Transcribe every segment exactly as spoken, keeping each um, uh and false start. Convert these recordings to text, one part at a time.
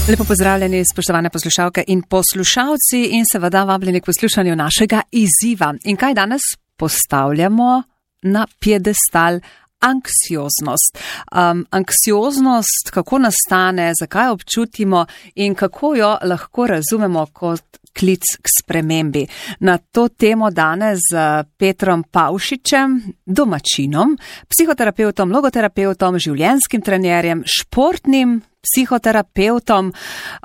Lepo pozdravljeni, spoštovane poslušalke in poslušalci in seveda vabljeni k poslušanju našega izziva. In kaj danes postavljamo na piedestal? Anksioznost. Um, anksioznost, kako nastane, zakaj občutimo in kako jo lahko razumemo kot klic k spremembi. Na to temo danes z Petrom Pavšičem, domačinom, psihoterapeutom, logoterapeutom, življenjskim trenerjem, športnim psihoterapeutom.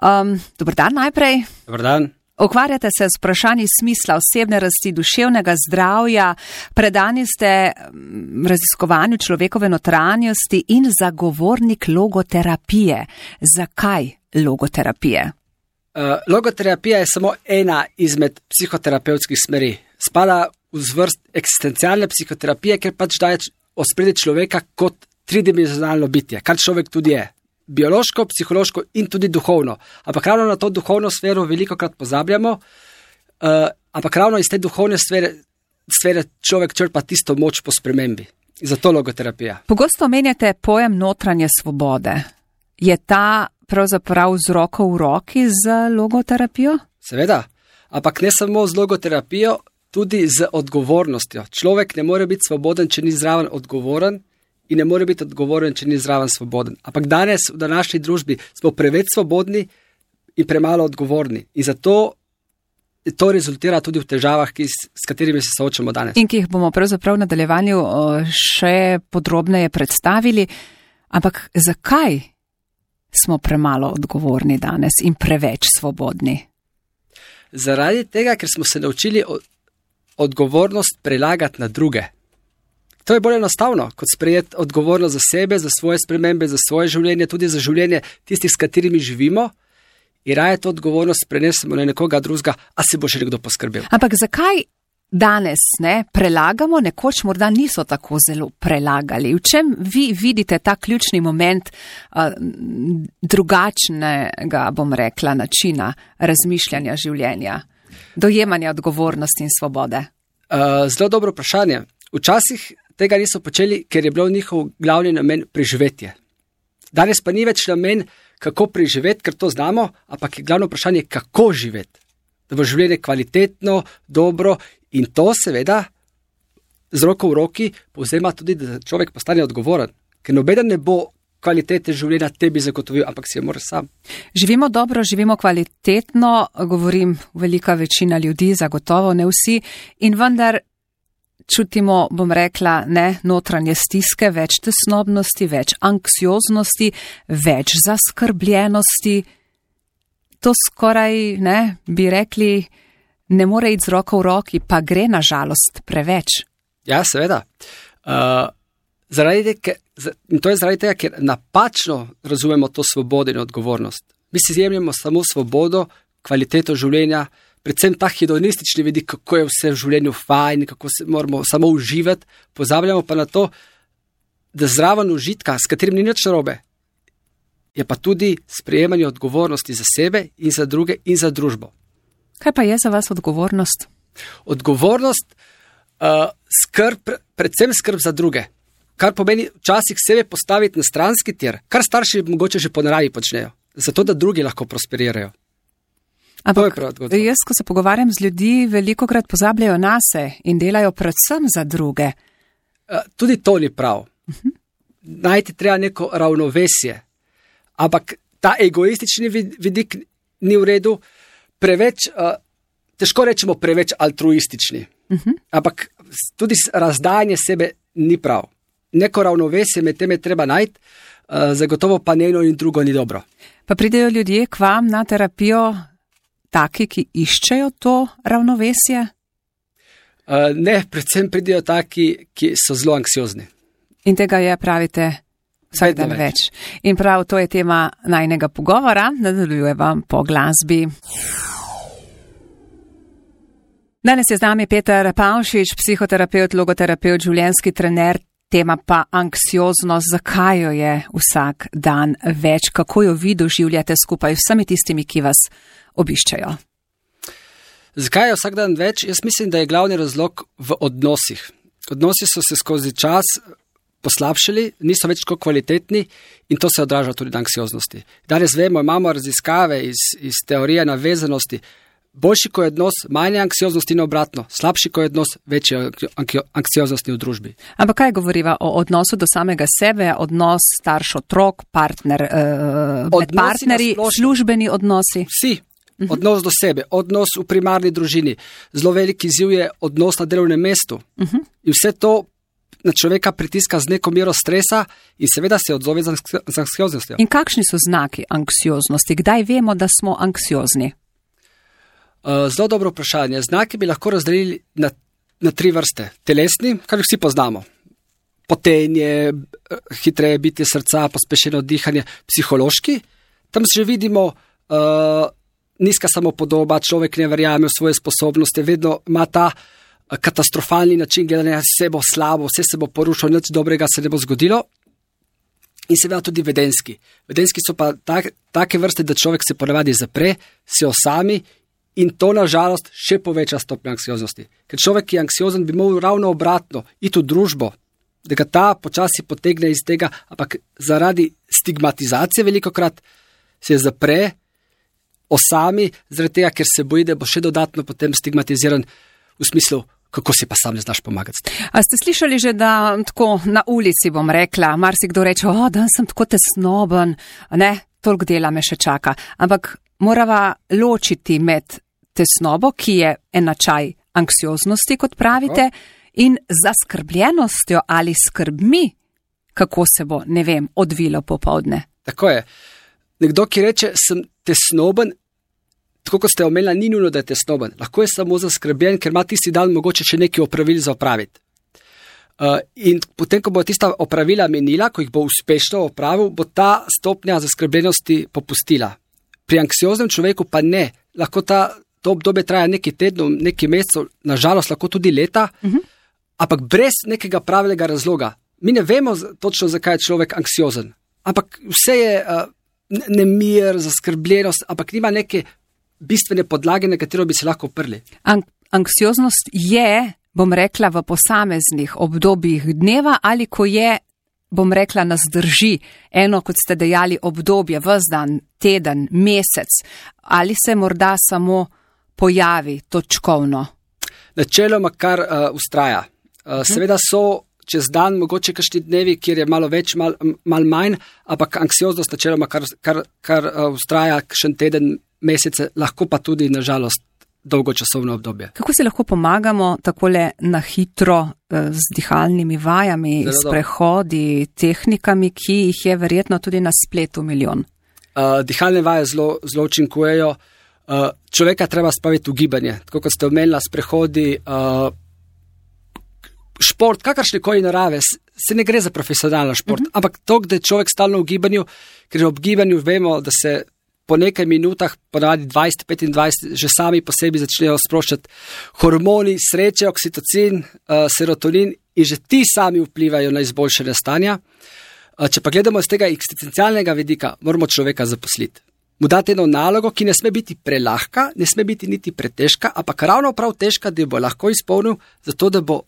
Um, dober dan najprej. Dober dan. Ukvarjate se s vprašanji smisla osebne rasti, duševnega zdravja, predani ste raziskovanju človekove notranjosti in zagovornik logoterapije. Zakaj logoterapije? Uh, logoterapija je samo ena izmed psihoterapevtskih smeri. Spada v zvrst eksistencialne psihoterapije, ker pač daje ospredje človeka kot tridimenzionalno bitje, kar človek tudi je. Biološko, psihološko in tudi duhovno. Ampak ravno na to duhovno sfero veliko krat pozabljamo, uh, ampak ravno iz te duhovne sfere, sfere človek črpa tisto moč po spremembi. Zato logoterapija. Pogosto omenjate pojem notranje svobode. Je ta pravzaprav z roko v roki z logoterapijo? Seveda, ampak ne samo z logoterapijo, tudi z odgovornostjo. Človek ne more biti svoboden, če ni zraven odgovoren, in ne more biti odgovoren, če ni zraven svoboden. Ampak danes v današnji družbi smo preveč svobodni in premalo odgovorni. In zato to rezultira tudi v težavah, ki, s katerimi se soočamo danes. In ki jih bomo pravzaprav v nadaljevanju še podrobneje predstavili. Ampak zakaj smo premalo odgovorni danes in preveč svobodni? Zaradi tega, ker smo se naučili odgovornost prelagati na druge. To je bolj enostavno, kot sprejeti odgovornost za sebe, za svoje spremembe, za svoje življenje, tudi za življenje tistih, s katerimi živimo, in raje to odgovornost prenesemo na nekoga drugega, a se bo še nekdo poskrbel. Ampak zakaj danes ne prelagamo, nekoč morda niso tako zelo prelagali? V čem vi vidite ta ključni moment uh, drugačnega, bom rekla, načina razmišljanja življenja, dojemanja odgovornosti in svobode? Uh, zelo dobro vprašanje. Včasih tega niso počeli, ker je bil njihov glavni namen preživetje. Danes pa ni več namen, kako preživeti, ker to znamo, ampak je glavno vprašanje, kako živeti. Da bo življenje kvalitetno, dobro in to seveda z roko v roki povzema tudi, da človek postane odgovoren. Ker nobeden ne bo kvalitete življenja tebi zagotovil, ampak si jo mora sam. Živimo dobro, živimo kvalitetno, govorim velika večina ljudi, zagotovo ne vsi, in vendar čutimo, bom rekla, ne, notranje stiske, več tesnobnosti, več anksioznosti, več zaskrbljenosti. To skoraj, ne, bi rekli, ne more iti z roko v roki, pa gre na žalost preveč. Ja, seveda. Uh, zaradi te, in to je zaradi tega, ker napačno razumemo to svobodo in odgovornost. Mi si jemljemo samo svobodo, kvaliteto življenja, predvsem ta hedonistični vidik, kako je vse v življenju fajn, kako se moramo samo uživati, pozabljamo pa na to, da zraven užitka, s katerim ni nič narobe, je pa tudi sprejemanje odgovornosti za sebe in za druge in za družbo. Kaj pa je za vas odgovornost? Odgovornost, uh, skrb, predvsem skrb za druge, kar pomeni včasih sebe postaviti na stranski tir, kar starši mogoče že po naravi počnejo, zato da drugi lahko prosperirajo. Ampak jaz, ko se pogovarjam z ljudi, veliko krat pozabljajo nase in delajo predvsem za druge. Tudi to ni prav. Uh-huh. Najti treba neko ravnovesje. Ampak ta egoistični vidik ni v redu, preveč, težko rečemo preveč altruistični. Uh-huh. Ampak tudi razdajanje sebe ni prav. Neko ravnovesje med tem je treba najti, zagotovo pa eno in drugo ni dobro. Pa pridejo ljudje k vam na terapijo, taki, ki iščejo to ravnovesje? Uh, ne, predvsem pridejo taki, ki so zelo anksiozni. In tega je, pravite, vsak dan več. In prav to je tema najinega pogovora, nadaljuje vam po glasbi. Danes je z nami Peter Pavšič, psihoterapeut, logoterapeut, življenjski trener, tema pa anksioznost. Zakaj jo je vsak dan več? Kako jo vi doživljate skupaj vsemi tistimi, ki vas obiščajo? Zakaj je vsak dan več? Jaz mislim, da je glavni razlog v odnosih. Odnosi so se skozi čas poslabšali, niso več tako kvalitetni in to se odraža tudi na anksioznosti. Danes vemo, imamo raziskave iz, iz teorije navezanosti. Boljši, ko je odnos, manje anksioznosti in obratno. Slabši, ko je odnos, večje anksioznosti v družbi. Ampak kaj govoriva o odnosu do samega sebe, odnos starš-otrok, partner, eh, med partnerji, službeni odnosi? Vsi. Uh-huh. Odnos do sebe, odnos v primarni družini. Zelo veliki izziv je odnos na delovnem mestu. Uh-huh. In vse to na človeka pritiska z neko mero stresa in seveda se odzove z anksioznostjo. In kakšni so znaki anksioznosti? Kdaj vemo, da smo anksiozni? Uh, zelo dobro vprašanje. Znaki bi lahko razdelili na, na tri vrste. Telesni, kar vsi poznamo. Potenje, hitreje bitje srca, pospešeno dihanje. Psihološki, tam že vidimo uh, nizka samopodoba, človek ne verjame v svoje sposobnosti, vedno ima ta katastrofalni način gledanja, vse bo slabo, vse se bo porušilo, nič dobrega se ne bo zgodilo. In seveda tudi vedenski. Vedenski so pa tak, take vrste, da človek se ponavadi zapre, se osami in to nažalost še poveča stopnjo anksioznosti. Ker človek, ki je anksiozen, bi moral ravno obratno iti v družbo, da ga ta počasi potegne iz tega, ampak zaradi stigmatizacije velikokrat se zapre, osami, zaradi tega, ker se boji, da bo še dodatno potem stigmatiziran v smislu, kako si pa sam ne znaš pomagati. A ste slišali že, da tako na ulici bom rekla, marsikdo reče, o, da sem tako tesnoben, ne, toliko dela me še čaka. Ampak morava ločiti med tesnobo, ki je enačaj anksioznosti, kot pravite, tako, in zaskrbljenostjo ali skrbmi, kako se bo, ne vem, odvilo popoldne. Tako je. Nekdo, ki reče, sem tesnoben, tako kot ste omenila, ni nujno, da je tesnoben. Lahko je samo zaskrbljen, ker ima tisti dan mogoče še nekaj opravil za opraviti. Uh, in potem, ko bo tista opravila menila, ko jih bo uspešno opravil, bo ta stopnja zaskrbljenosti popustila. Pri anksioznem človeku pa ne. Lahko ta, to obdobje traja nekaj tednov, nekaj mesecev, nažalost lahko tudi leta, uh-huh. ampak brez nekega pravega razloga. Mi ne vemo točno, zakaj je človek anksiozen. Ampak vse je uh, nemir, zaskrbljenost, ampak nima neke bistvene podlage, na katero bi se lahko oprli. An- anksioznost je, bom rekla, v posameznih obdobjih dneva ali ko je, bom rekla, nas drži eno, kot ste dejali, obdobje, ves dan, teden, mesec, ali se morda samo pojavi točkovno? Načeloma kar uh, ustraja. Uh, seveda so čez dan mogoče kakšni dnevi, kjer je malo več, malo mal manj, ampak anksioznost načeloma kar, kar, kar uh, ustraja kakšen teden, mesece, lahko pa tudi, nažalost, dolgočasovno obdobje. Kako si lahko pomagamo takole na hitro z dihalnimi vajami, Zelo s prehodi, tehnikami, ki jih je verjetno tudi na spletu milijon? Uh, dihalne vaje zelo, zelo učinkujejo. Uh, človeka treba spraviti v gibanje. Tako kot ste omenila, s prehodi, uh, šport, kakršnekoli narave, se ne gre za profesionalno šport, uh-huh. ampak to, da je človek stalno v gibanju, ker v gibanju vemo, da se po nekaj minutah, ponavadi dvajset do petindvajset, že sami po sebi začnejo sproščati hormoni sreče, oksitocin, uh, serotonin in že ti sami vplivajo na izboljšanje stanja. Uh, če pa gledamo iz tega eksistencialnega vidika, moramo človeka zaposliti. Mu dati eno nalogo, ki ne sme biti prelahka, ne sme biti niti pretežka, ampak ravno prav težka, da jo bo lahko izpolnil, zato da bo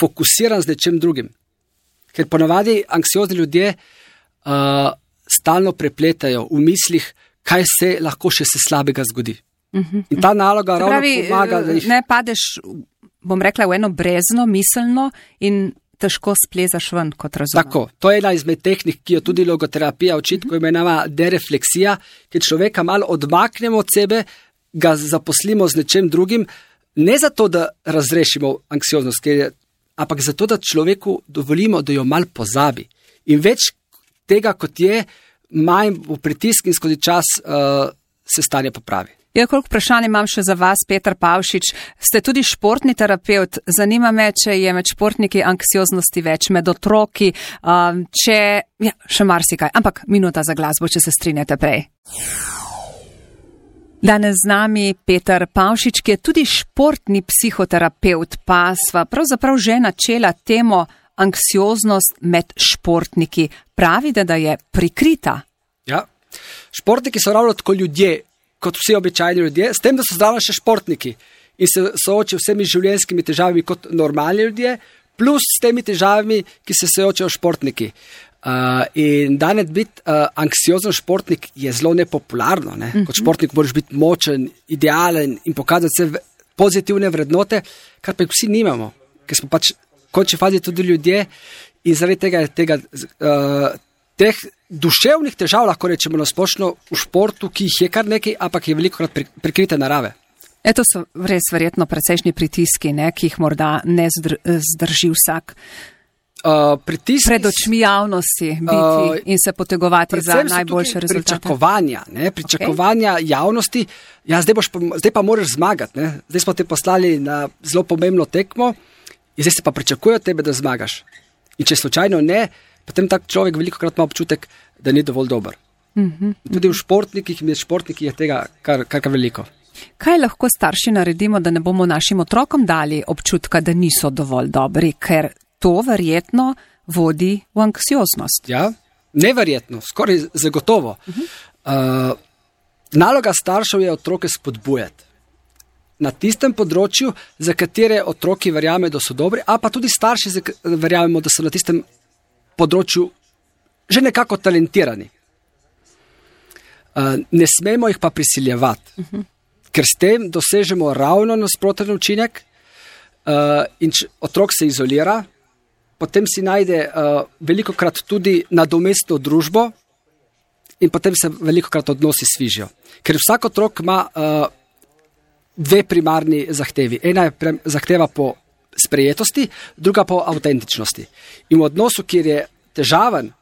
fokusiran z nečem drugim. Ker ponavadi anksiozni ljudje uh, stalno prepletajo v mislih, kaj se lahko še se slabega zgodi. Uh-huh. In ta naloga ravno pravi, pomaga, da jih... Ne padeš, bom rekla, v eno brezno, miselno in težko splezaš ven, kot razumem. Tako, to je ena izmed tehnik, ki jo tudi logoterapija uči, uh-huh. ko imenava derefleksija, ker človeka malo odmaknemo od sebe, ga zaposlimo z nečem drugim, ne zato, da razrešimo anksioznost, je, ampak zato, da človeku dovolimo, da jo malo pozabi. In več tega, kot je, manj v pritisk in skozi čas uh, se stanje popravi. Ja, koliko vprašanj imam še za vas, Peter Pavšič. Ste tudi športni terapevt. Zanima me, če je med športniki anksioznosti več, med otroki, um, če... Ja, še marsikaj. Ampak minuta za glasbo, če se strinjate prej. Danes z nami Peter Pavšič, ki je tudi športni psihoterapevt, pa sva pravzaprav že načela temo anksioznost med športniki. Pravite, da je prikrita. Ja, športniki so ravno tako ljudje, kot vsi običajni ljudje, s tem, da so zraven še športniki in se soočijo vsemi življenjskimi težavami kot normalni ljudje, plus s temi težavami, ki se soočajo športniki. Uh, in danes biti uh, anksiozen športnik je zelo nepopularno. Ne? Mm-hmm. Kot športnik moraš biti močen, idealen in pokazati vse pozitivne vrednote, kar pa vsi nimamo, ker smo pač v končni fazi tudi ljudje in zaradi tega, tega uh, teh duševnih težav, lahko rečemo na splošno v športu, ki jih je kar nekaj, ampak je veliko krat prikrite narave. Eto so res verjetno precejšnji pritiski, ne, ki jih morda ne zdr- zdrži vsak. Uh, pritisk, pred očmi javnosti biti uh, in se potegovati za najboljše rezultate. Pričakovanja, ne, pričakovanja okay. javnosti. Ja, zdaj, boš, zdaj pa moraš zmagati. Ne. Zdaj smo te poslali na zelo pomembno tekmo in zdaj se pa pričakuje od tebe, da zmagaš. In če slučajno ne, potem tak človek veliko krat ima občutek, da ni dovolj dober. Mm-hmm. Tudi v športnikih in med športniki je tega kar, kar, kar veliko. Kaj lahko starši naredimo, da ne bomo našim otrokom dali občutka, da niso dovolj dobri, ker to verjetno vodi v anksioznost? Ja, neverjetno, skoraj zagotovo. Uh-huh. Uh, naloga staršev je otroke spodbujati na tistem področju, za katere otroki verjamejo, da so dobri, a pa tudi starši verjamemo, da so na tistem področju že nekako talentirani. Uh, ne smemo jih pa prisiljevati, uh-huh. ker s tem dosežemo ravno nasproten učinek uh, in če otrok se izolira, potem si najde uh, veliko krat tudi nadomestno družbo in potem se veliko krat odnosi svižijo. Ker vsak otrok ima uh, dve primarni zahtevi. Ena je pre- zahteva po sprejetosti, druga po avtentičnosti. In v odnosu, kjer je težaven,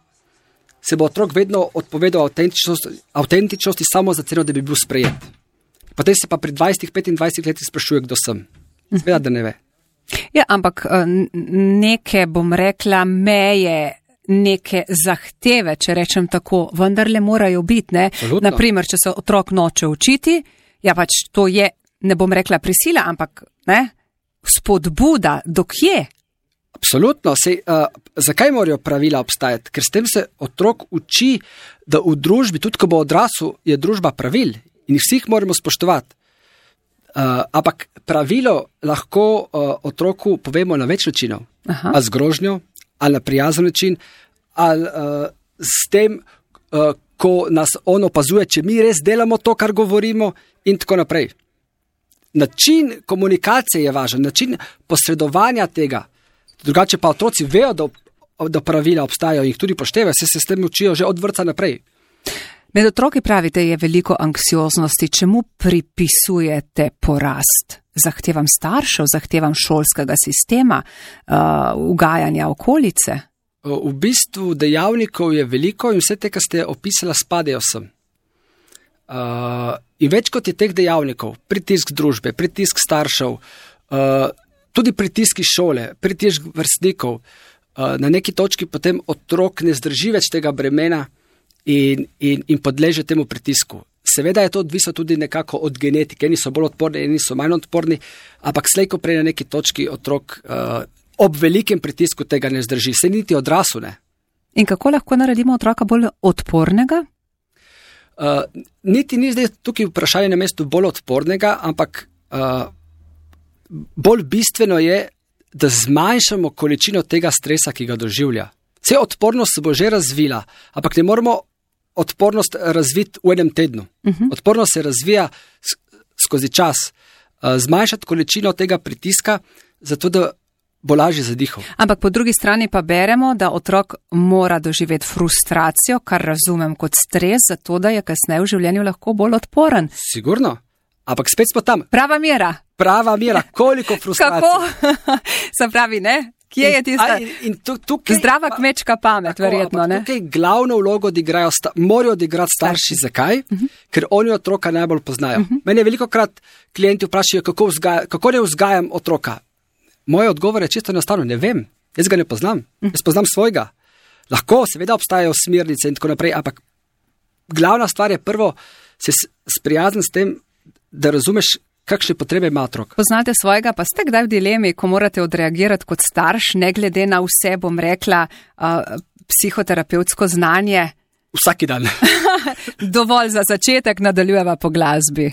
se bo otrok vedno odpovedal avtentičnosti, avtentičnosti samo za ceno, da bi bil sprejet. Potem se pa pri dvajsetih, petindvajsetih letih sprašuje, kdo sem. Seveda, da ne ve. Ja, ampak neke, bom rekla, meje, neke zahteve, če rečem tako, vendarle morajo biti, ne? Naprimer, če se otrok noče učiti, ja pač to je, ne bom rekla prisila, ampak ne, spodbuda, dokje? Absolutno, sej, uh, zakaj morajo pravila obstajati? Ker s tem se otrok uči, da v družbi, tudi ko bo odrasel, je družba pravil in vsi jih moramo spoštovati. Uh, ampak pravilo lahko uh, otroku povemo na več načinov. Ali z grožnjo, ali na prijazen način, ali uh, s tem, uh, ko nas on opazuje, če mi res delamo to, kar govorimo in tako naprej. Način komunikacije je važen, način posredovanja tega. Drugače pa otroci vejo, da, da pravila obstajajo in jih tudi poštevajo, se se s tem učijo že od vrtca naprej. Med otroki pravite, je veliko anksioznosti. Čemu pripisujete porast? Zahtevam staršev, zahtevam šolskega sistema, uh, ugajanja okolice? V bistvu dejavnikov je veliko in vse te, ki ste opisala, spadajo sem. Uh, in več kot je teh dejavnikov, pritisk družbe, pritisk staršev, uh, tudi pritiski šole, pritisk vrstnikov, uh, na neki točki potem otrok ne zdrži več tega bremena In, in, in podleže temu pritisku. Seveda je to odvisno tudi nekako od genetike, eni so bolj odporni, eni so manj odporni, ampak slej ko prej na neki točki otrok uh, ob velikem pritisku tega ne zdrži, se niti odrasel ne. In kako lahko naredimo otroka bolj odpornega? Uh, niti ni zdaj tukaj vprašanje na mestu bolj odpornega, ampak uh, bolj bistveno je, da zmanjšamo količino tega stresa, ki ga doživlja. Vse odpornost se bo že razvila, ampak ne moramo odpornost razviti v enem tednu. Uh-huh. Odpornost se razvija skozi čas. Zmanjšati količino tega pritiska, zato da bo lažje zadihal. Ampak po drugi strani pa beremo, da otrok mora doživeti frustracijo, kar razumem kot stres, zato da je kasneje v življenju lahko bolj odporen. Sigurno. Ampak spet smo tam. Prava mera. Prava mera. Koliko frustracije. Kako? Se pravi, ne? Kje je tista in, in tukaj, zdrava kmečka pamet, tako, verjetno, ne? Tukaj glavno vlogo odigrajo, sta, morajo odigrati starši. starši. Zakaj? Uh-huh. Ker oni otroka najbolj poznajo. Uh-huh. Mene veliko krat klienti vprašajo, kako, vzgaja, kako ne vzgajam otroka. Moj odgovor je čisto enostavno, ne vem. Jaz ga ne poznam. Uh-huh. Jaz poznam svojega. Lahko, seveda obstajajo smernice in tako naprej, ampak glavna stvar je prvo se sprijazniti s tem, da razumeš, kakšne potrebe ima otrok. Poznate svojega, pa ste kdaj v dilemi, ko morate odreagirati kot starš, ne glede na vse, bom rekla, uh, psihoterapevtsko znanje? Vsaki dan. Dovolj za začetek, nadaljujeva po glasbi.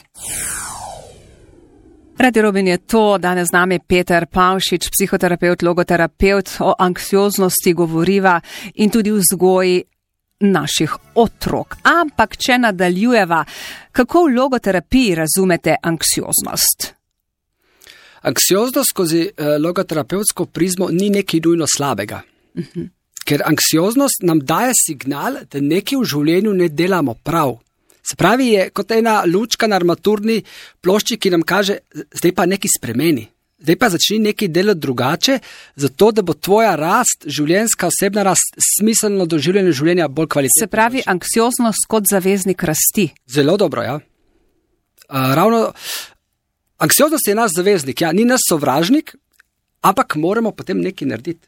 Radio Robin je to, danes z nami Peter Pavšič, psihoterapevt, logoterapeut, o anksioznosti govoriva in tudi vzgoji naših otrok. Ampak, če nadaljujeva, kako v logoterapiji razumete anksioznost? Anksioznost skozi uh, logoterapevtsko prizmo ni nekaj nujno slabega. Uh-huh. Ker anksioznost nam daje signal, da nekaj v življenju ne delamo prav. Se pravi, je kot ena lučka na armaturni plošči, ki nam kaže, zdaj pa nekaj spremeni. Zdaj pa začni nekaj delati drugače, zato da bo tvoja rast, življenjska, osebna rast, smiselno doživljanje življenja bolj kvalitetno. Se pravi, anksioznost kot zaveznik rasti. Zelo dobro, ja. Uh, ravno, anksioznost je naš zaveznik, ja, ni naš sovražnik, ampak moramo potem nekaj narediti.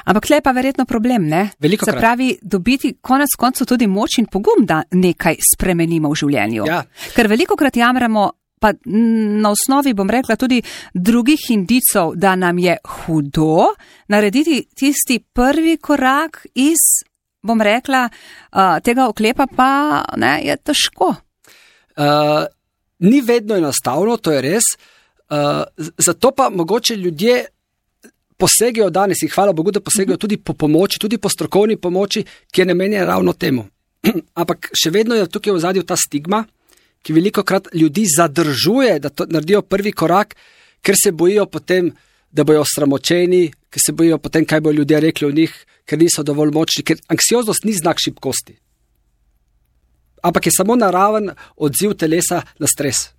Ampak tle je pa verjetno problem, ne? Veliko Se pravi, dobiti konec koncev tudi moč in pogum, da nekaj spremenimo v življenju. Ja. Ker veliko krat jamramo, pa na osnovi, bom rekla, tudi drugih indicov, da nam je hudo narediti tisti prvi korak iz, bom rekla, tega oklepa pa ne, je težko. Uh, ni vedno enostavno, to je res. Uh, zato pa mogoče ljudje posegajo danes in hvala Bogu, da posegajo tudi po pomoči, tudi po strokovni pomoči, ki je namenjena ravno temu. Ampak še vedno je tukaj v ozadju ta stigma, ki veliko krat ljudi zadržuje, da to naredijo prvi korak, ker se bojijo potem, da bojo osramočeni, ker se bojijo potem, kaj bojo ljudje rekli o njih, ker niso dovolj močni, ker anksioznost ni znak šibkosti. Ampak je samo naraven odziv telesa na stres.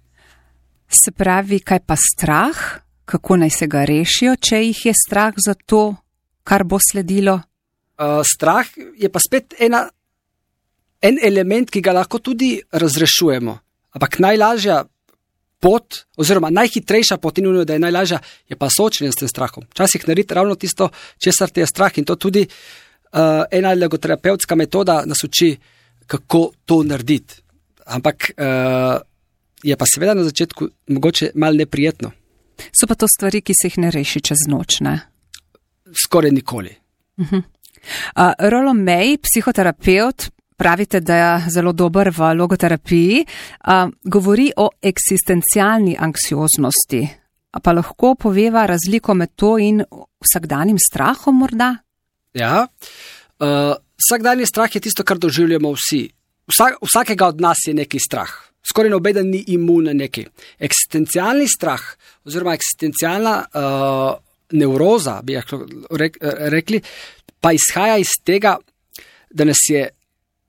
Se pravi, kaj pa strah? Kako naj se ga rešijo, če jih je strah za to, kar bo sledilo? Uh, strah je pa spet ena, en element, ki ga lahko tudi razrešujemo. Ampak najlažja pot, oziroma najhitrejša pot, in da je najlažja, je pa soočenje s tem strahom. Včasih narediti ravno tisto, česar te je strah, in to tudi uh, ena logoterapevtska metoda nas uči, kako to narediti. Ampak uh, je pa seveda na začetku mogoče malo neprijetno. So pa to stvari, ki se jih ne reši čez noč, ne? Skoraj nikoli. Uh-huh. Uh, Rollo May, psihoterapeut, pravite, da je zelo dober v logoterapiji, uh, govori o eksistencialni anksioznosti. A pa lahko poveva razliko med to in vsakdanjim strahom morda? Ja, uh, vsakdanji strah je tisto, kar doživljamo vsi. Vsak, vsakega od nas je neki strah. Skoraj nobeden ni imun na neki. Eksistencialni strah oziroma eksistencialna uh, nevroza, bi rekli, pa izhaja iz tega, da nas je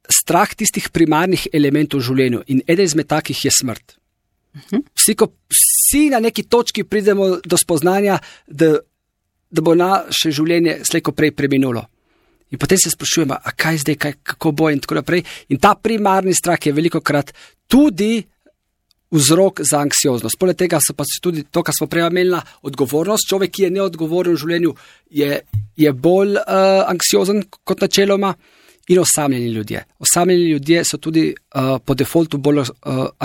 strah tistih primarnih elementov v življenju in eden izmed takih je smrt. Uh-huh. Vsi, ko, vsi na neki točki pridemo do spoznanja, da, da bo naše življenje slejko prej preminulo. In potem se sprašujemo, a kaj zdaj, kaj, kako bo in tako naprej. In ta primarni strah je velikokrat tudi vzrok za anksioznost. Poleg tega so pa tudi to, kar smo prej imeli, odgovornost. Človek, ki je neodgovoren v življenju, je, je bolj uh, anksiozen kot načeloma in osamljeni ljudje. Osamljeni ljudje so tudi uh, po defaultu bolj uh,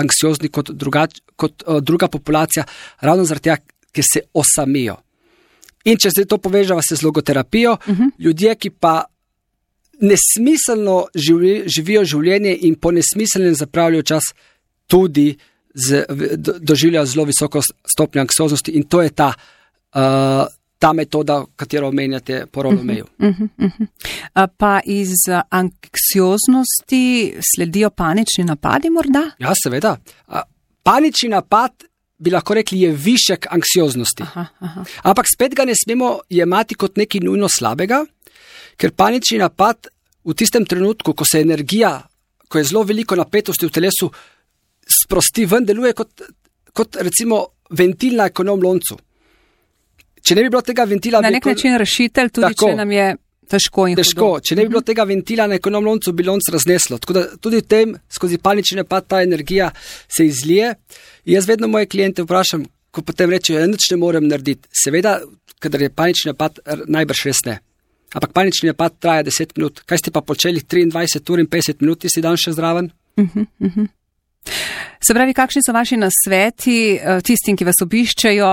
anksiozni kot, drugač, kot uh, druga populacija, ravno zaradi tega, ker se osamijo. In če zdaj to povežava se z logoterapijo, uh-huh. ljudje, ki pa nesmiselno živi, živijo življenje in po nesmiselnem zapravljajo čas, tudi z, do, doživljajo zelo visoko stopnjo anksioznosti in to je ta, uh, ta metoda, katero omenjate po Rollo Mayu. Uh-huh, uh-huh. Pa iz anksioznosti sledijo panični napadi morda? Ja, seveda. Panični napad bi lahko rekli, je višek anksioznosti. Aha, aha. Ampak spet ga ne smemo jemati kot nekaj nujno slabega, ker panični napad v tistem trenutku, ko se energija, ko je zelo veliko napetosti v telesu, sprosti ven, deluje kot, kot recimo ventil na ekonom loncu. Če ne bi bilo tega ventila... Na nek način rešitelj, tudi tako, če nam je težko in težko. hudo. Če ne bi bilo tega ventila na ekonom loncu, bi lonc razneslo. Tako da tudi v tem, skozi panični napad, ta energija se izlije. In jaz vedno moje kliente vprašam, ko potem rečejo, ja, nič ne morem narediti. Seveda, kadar je panični napad, najbrž res ne. Ampak panični napad traja deset minut. Kaj ste pa počeli triindvajset ur in petdeset minut, ti si dan še zraven? Uh-huh, uh-huh. Se pravi, kakšni so vaši nasveti tistim, ki vas obiščejo,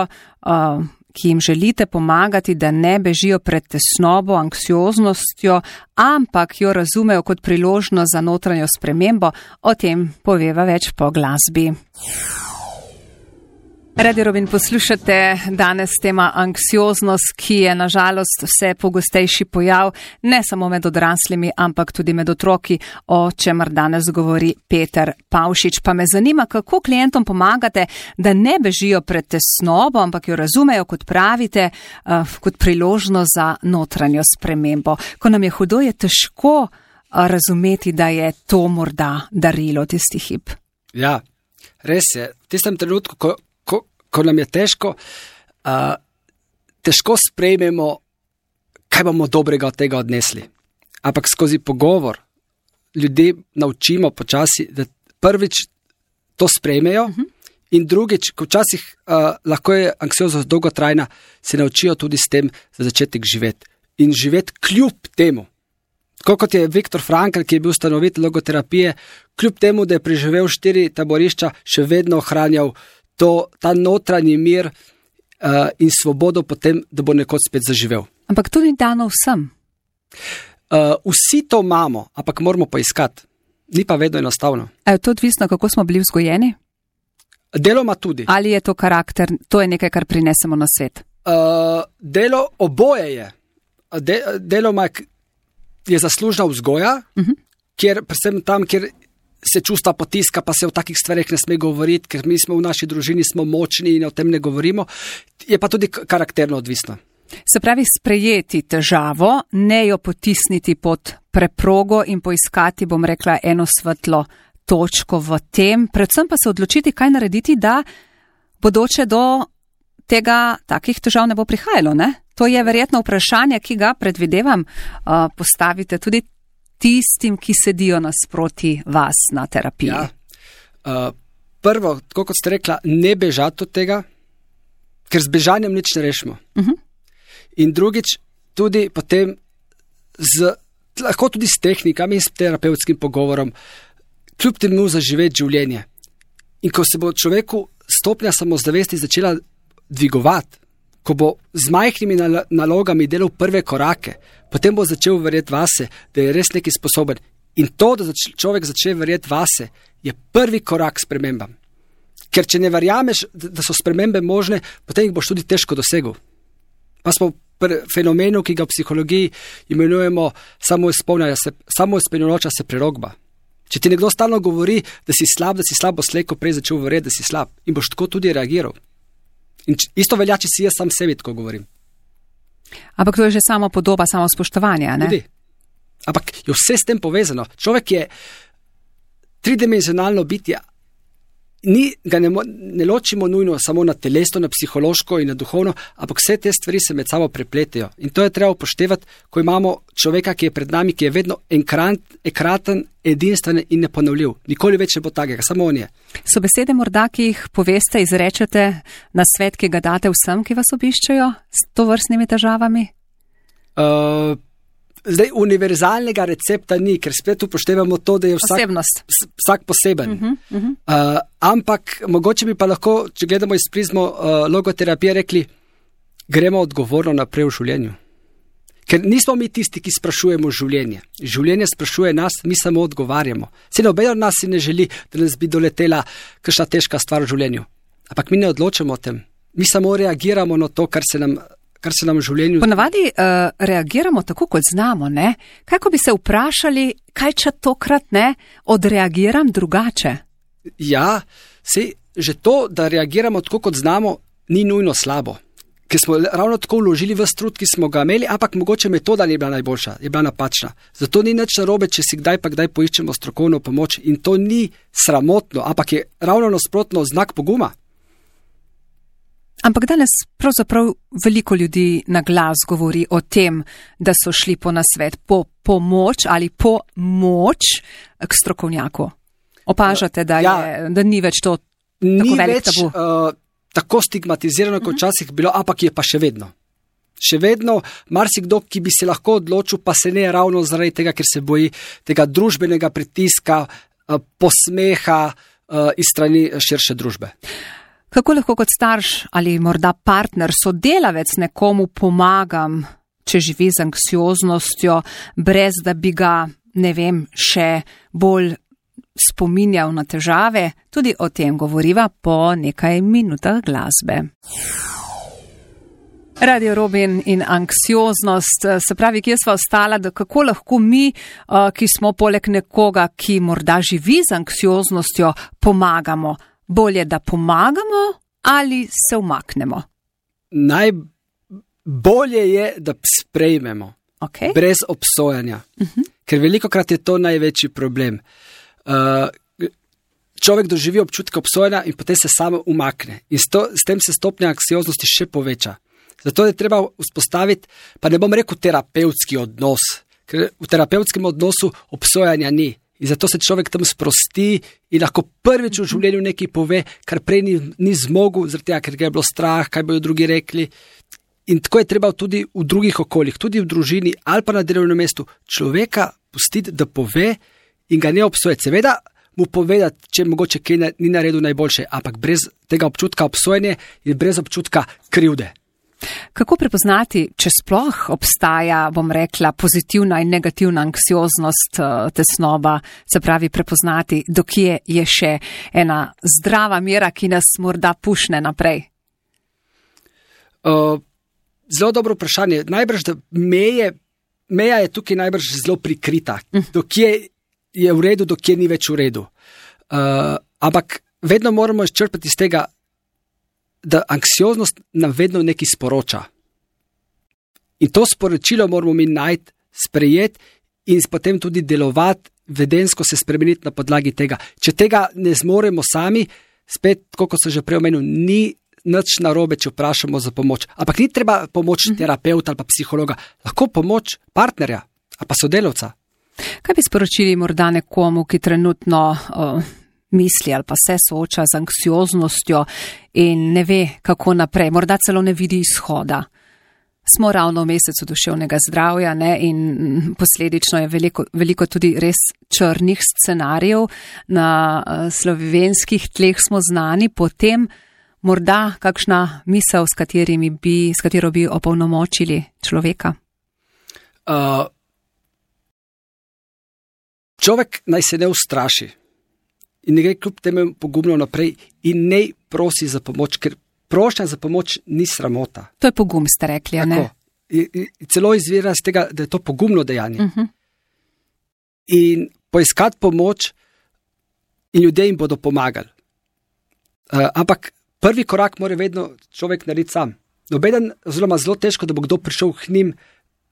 ki jim želite pomagati, da ne bežijo pred tesnobo, anksioznostjo, ampak jo razumejo kot priložnost za notranjo spremembo? O tem poveva več po glasbi. Radio Robin, poslušate danes tema anksioznost, ki je nažalost vse pogostejši pojav, ne samo med odraslimi, ampak tudi med otroki, o čemer danes govori Peter Pavšič. Pa me zanima, kako klientom pomagate, da ne bežijo pred tesnobo, ampak jo razumejo, kot pravite, kot priložnost za notranjo spremembo. Ko nam je hudo, je težko razumeti, da je to morda darilo tisti hip. Ja, res je. V tistem trenutku, ko Ko, ko nam je težko, uh, težko sprejmemo, kaj bomo dobrega od tega odnesli. Ampak skozi pogovor ljudi naučimo počasi, da prvič to sprejmejo uh-huh. in drugič, ko včasih uh, lahko je anksioznost dolgotrajna, se naučijo tudi s tem za začetek živeti. In živeti kljub temu. Tako kot je Viktor Frankl, ki je bil ustanovitelj logoterapije, kljub temu, da je preživel štiri taborišča, še vedno ohranjal to, ta notranji mir uh, in svobodo potem, da bo nekoč spet zaživel. Ampak to ni dano vsem. Uh, vsi to imamo, ampak moramo poiskati. Ni pa vedno enostavno. A je to odvisno, kako smo bili vzgojeni? Deloma tudi. Ali je to karakter, to je nekaj, kar prinesemo na svet? Uh, delo oboje je. De, deloma je zaslužna vzgoja, uh-huh. kjer, predvsem tam, kjer se čustva potiska, pa se o takih stvareh ne sme govoriti, ker mi smo v naši družini smo močni in o tem ne govorimo, je pa tudi karakterno odvisno. Se pravi, sprejeti težavo, ne jo potisniti pod preprogo in poiskati, bom rekla, eno svetlo točko v tem, predvsem pa se odločiti, kaj narediti, da bodoče do tega takih težav ne bo prihajalo, ne? To je verjetno vprašanje, ki ga predvidevam, uh, postavite tudi tistim, ki sedijo nasproti vas na terapiji. Ja. Uh, prvo, tako kot ste rekla, ne bežati od tega, ker z bežanjem nič ne rešimo. Uh-huh. In drugič, tudi potem z, lahko tudi s tehnikami, s terapevtskim pogovorom, kljub temu zaživeti življenje. In ko se bo človeku stopnja samozavesti začela dvigovati, ko bo z majhnimi nalogami delal prve korake, potem bo začel verjeti vase, da je res nekaj sposoben. In to, da zač- človek začne verjeti vase, je prvi korak k spremembam. Ker če ne verjameš, da so spremembe možne, potem jih boš tudi težko dosegel. Pa smo pri fenomenu, ki ga v psihologiji imenujemo samoizpolnjujoča se prerokba. Če ti nekdo stalno govori, da si slab, da si slab, bo slej ko prej začel verjeti, da si slab. In boš tako tudi reagiral. In isto velja, če si jaz sam sebi tako govorim. Ampak to je že samo podoba, samo spoštovanja, ne? Tudi. Ampak je vse s tem povezano. Človek je tridimenzionalno bitje. Ni, ga ne, ne ločimo nujno samo na telesno, na psihološko in na duhovno, ampak vse te stvari se med sabo prepletajo. In to je treba upoštevati, ko imamo človeka, ki je pred nami, ki je vedno enkrat, ekraten, edinstven in neponovljiv. Nikoli več ne bo takega, samo on je. So besede morda, ki jih poveste, izrečete na svet, ki ga date vsem, ki vas obiščajo s tovrstnimi težavami? Uh, Zdaj, univerzalnega recepta ni, ker spet upoštevamo to, da je vsak, vsak poseben. Uh-huh, uh-huh. Uh, ampak mogoče bi pa lahko, če gledamo iz prizmo uh, logoterapije, rekli, gremo odgovorno naprej v življenju. Ker nismo mi tisti, ki sprašujemo življenje. Življenje sprašuje nas, mi samo odgovarjamo. Se noben od nas si ne želi, da nas bi doletela kakšna težka stvar v življenju. Ampak mi ne odločamo o tem. Mi samo reagiramo na to, kar se nam kar se nam v življenju... Ponavadi uh, reagiramo tako, kot znamo, ne? Kaj, ko bi se vprašali, kaj če tokrat ne, odreagiram drugače? Ja, sej, že to, da reagiramo tako, kot znamo, ni nujno slabo. Ker smo ravno tako vložili v trud, ki smo ga imeli, ampak mogoče metoda ni bila najboljša, je bila napačna. Zato ni nič narobe, če si kdaj pa kdaj poiščemo strokovno pomoč. In to ni sramotno, ampak je ravno nasprotno znak poguma. Ampak danes pravzaprav veliko ljudi na glas govori o tem, da so šli po nasvet, po pomoč ali po moč k strokovnjaku. Opažate, da, ja, je, da ni več to ni tako velik več, tabu? Uh, tako stigmatizirano, kot včasih bilo, ampak je pa še vedno. Še vedno marsikdo, ki bi se lahko odločil, pa se ne ravno zaradi tega, ker se boji tega družbenega pritiska, uh, posmeha uh, iz strani širše družbe. Kako lahko kot starš ali morda partner, sodelavec nekomu pomagam, če živi z anksioznostjo, brez da bi ga, ne vem, še bolj spominjal na težave, tudi o tem govoriva po nekaj minutah glasbe. Radio Robin in anksioznost, se pravi, kje sva ostala, da kako lahko mi, ki smo poleg nekoga, ki morda živi z anksioznostjo, pomagamo. Bolje, da pomagamo ali se umaknemo? Najbolje je, da sprejmemo. Okay. Brez obsojanja. Uh-huh. Ker velikokrat je to največji problem. Uh, človek doživi občutek obsojanja in potem se samo umakne. In s, to, s tem se stopnja anksioznosti še poveča. Zato je treba vzpostaviti, pa ne bom rekel terapevtski odnos, ker v terapevtskem odnosu obsojanja ni. In zato se človek tam sprosti in lahko prvič v življenju nekaj pove, kar prej ni, ni zmogel, zaradi tega, ker ga je bilo strah, kaj bojo drugi rekli. In tako je treba tudi v drugih okoljih, tudi v družini ali pa na delovnem mestu človeka pustiti, da pove in ga ne obsojati. Seveda mu povedati, če mogoče kaj ni naredil najboljše, ampak brez tega občutka obsojanja in brez občutka krivde. Kako prepoznati, če sploh obstaja, bom rekla, pozitivna in negativna anksioznost, tesnoba, se pravi prepoznati, dokje je še ena zdrava mera, ki nas morda pušne naprej? Uh, zelo dobro vprašanje. Najbrž, da meje, meja je tukaj najbrž zelo prikrita. Dokje je v redu, dokje ni več v redu. Uh, ampak vedno moramo izčrpati iz tega, da anksioznost nam vedno nekaj sporoča. In to sporočilo moramo mi najti, sprejeti in potem tudi delovati, vedensko se spremeniti na podlagi tega. Če tega ne zmoremo sami, spet, kot sem že prej omenil, ni nič narobe, če vprašamo za pomoč. Ampak ni treba pomoč terapeuta ali pa psihologa, lahko pomoč partnerja ali pa sodelavca. Kaj bi sporočili morda nekomu, ki trenutno uh, misli ali pa se sooča z anksioznostjo in ne ve, kako naprej, morda celo ne vidi izhoda? Smo ravno v mesecu duševnega zdravja, ne, in posledično je veliko, veliko tudi res črnih scenarijev. Na uh, slovenskih tleh smo znani, potem morda kakšna misel, s, katerimi bi, s katero bi opolnomočili človeka? Uh, človek naj se ne ustraši in ne gre kljub temu pogumno naprej in ne prosi za pomoč, ker prošnja za pomoč ni sramota. To je pogum, ste rekli, a ne? I, i, celo izvira z tega, da je to pogumno dejanje. Uh-huh. In poiskati pomoč in ljudje jim bodo pomagali. Uh, ampak prvi korak mora vedno človek narediti sam. Nobeden, oziroma zelo težko, da bo kdo prišel k njim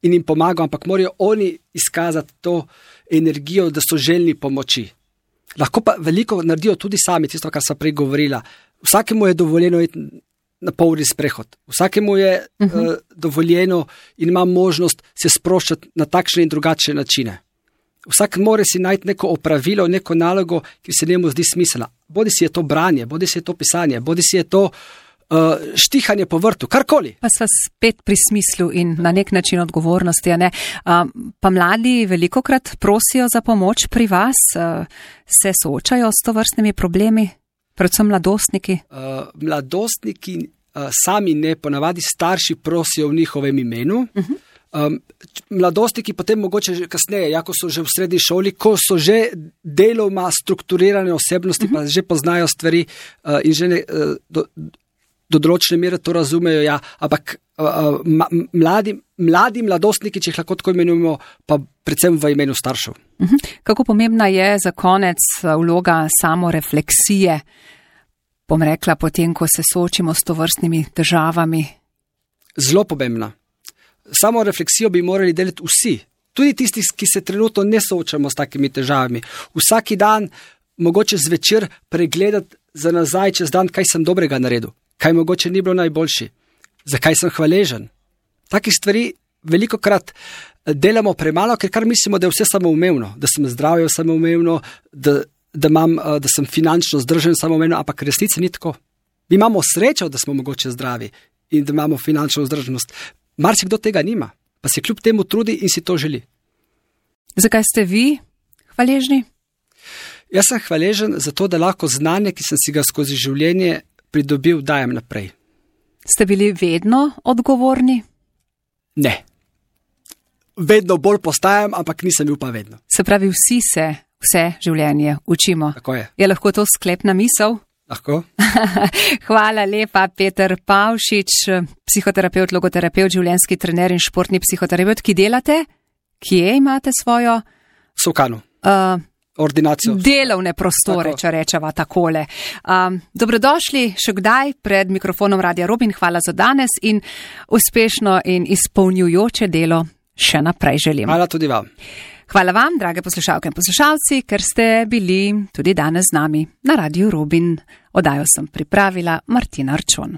in jim pomagal, ampak morajo oni izkazati to energijo, da so željni pomoči. Lahko pa veliko naredijo tudi sami, tisto, kar sem prej govorila. Vsakemu je dovoljeno iti na polni sprehod. Vsakemu je uh-huh. uh, dovoljeno in ima možnost se sproščati na takšne in drugačne načine. Vsak mora si najti neko opravilo, neko nalogo, ki se njemu zdi smiselna. Bodi si je to branje, bodi si je to pisanje, bodi si je to uh, štihanje po vrtu, karkoli. Pa sva spet pri smislu in na nek način odgovornosti. A ne? Uh, pa mladi velikokrat prosijo za pomoč pri vas, uh, se soočajo s tovrstnimi problemi, predvsem mladostniki? Uh, mladostniki uh, sami ne, ponavadi starši prosijo v njihovem imenu. Uh-huh. Um, mladostniki potem mogoče že kasneje, jako so že v srednji šoli, ko so že deloma strukturirane osebnosti, uh-huh. pa že poznajo stvari uh, in že ne, uh, do, do določene mere to razumejo, ja, ampak uh, ma, mladi, mladi mladostniki, če jih lahko tako imenujemo, pa predvsem v imenu staršev. Uh-huh. Kako pomembna je za konec vloga samorefleksije, bom rekla, potem, ko se soočimo s tovrstnimi težavami? Zelo pomembna. Samo refleksijo bi morali delati vsi, tudi tisti, ki se trenutno ne soočamo s takimi težavami. Vsaki dan, mogoče zvečer, pregledati za nazaj čez dan, kaj sem dobrega naredil, kaj mogoče ni bilo najboljši, zakaj sem hvaležen. Takih stvari velikokrat delamo premalo, ker kar mislimo, da je vse samoumevno, da sem zdravje samoumevno, da, da, imam, da sem finančno zdržen samoumevno, ampak resnici ni tako. Mi imamo srečo, da smo mogoče zdravi in da imamo finančno vzdržnost. Marsikdo tega nima, pa se kljub temu trudi in si to želi. Zakaj ste vi hvaležni? Jaz sem hvaležen za to, da lahko znanje, ki sem si ga skozi življenje pridobil, dajem naprej. Ste bili vedno odgovorni? Ne. Vedno bolj postajam, ampak nisem bil pa vedno. Se pravi, vsi se vse življenje učimo. Tako je. Je lahko to sklepna misel? Lahko. Hvala lepa, Peter Pavšič, psihoterapeut, logoterapeut, življenjski trener in športni psihoterapeut, ki delate. Kje imate svojo? Sokanu. Uh, Ordinacijo. Delovne prostore, Tako. če rečeva takole. Um, dobrodošli še kdaj pred mikrofonom Radia Robin. Hvala za danes in uspešno in izpolnjujoče delo še naprej želim. Hvala tudi vam. Hvala vam, drage poslušalke in poslušalci, ker ste bili tudi danes z nami na Radiu Robin. Oddajo sem pripravila Martina Arčon.